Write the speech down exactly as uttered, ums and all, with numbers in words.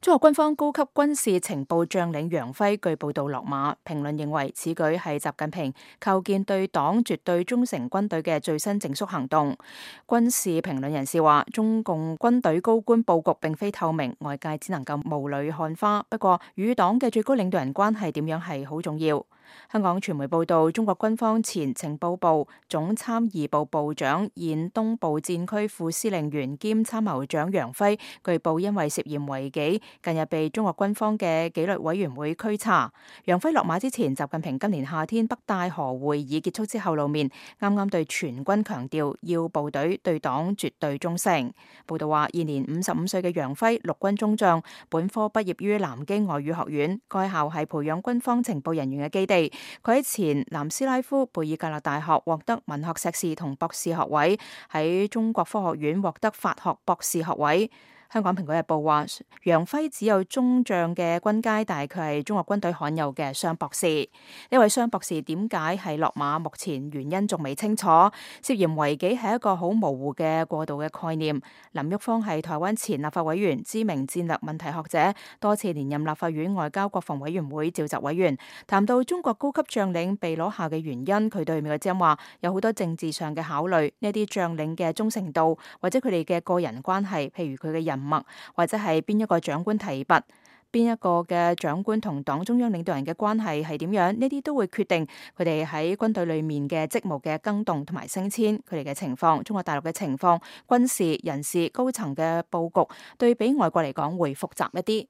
中國軍方高級軍事情報將領楊輝據報道落馬，評論認為此舉係習近平構建對黨絕對忠誠軍隊嘅最新整肅行動。軍事評論人士話，中共軍隊高官佈局並非透明，外界只能夠霧裏看花。不過，與黨嘅最高領導人關係點樣係好重要。香港傳媒報道，中國軍方前情報部總參議部部長、現東部戰區副司令員兼參謀長楊輝，據報因為涉嫌違紀，近日被中國軍方嘅紀律委員會驅查。楊輝落馬之前，習近平今年夏天北戴河會議結束之後露面，啱啱對全軍強調要部隊對黨絕對忠誠。報道話，現年五十五歲嘅楊輝，陸軍中將，本科畢業於南京外語學院，該校係培養軍方情報人員嘅基地。佢喺前南斯拉夫貝爾格勒大學獲得文學碩士同博士學位，喺中國科學院獲得法學博士學位。香港蘋果日報話，楊輝只有中將嘅軍階，但係佢係中國軍隊罕有嘅雙博士。呢位雙博士點解係落馬？目前原因仲未清楚。涉嫌違紀係一個好模糊嘅過渡嘅概念。林郁方係台灣前立法委員、知名戰略問題學者，多次連任立法院外交國防委員會召集委員。談到中國高級將領被攞下嘅原因，佢對美國之音話有好多政治上嘅考慮，呢啲將領嘅忠誠度或者佢哋嘅個人關係，譬如佢嘅人脈，或者係邊一個長官提拔，邊一個嘅長官同黨中央領導人嘅關係係點樣，呢啲都會決定佢哋喺軍隊裏面嘅職務嘅更動同埋升遷，佢哋嘅情況，中國大陸嘅情況，軍事人士高層嘅佈局，對比外國嚟講會複雜一啲。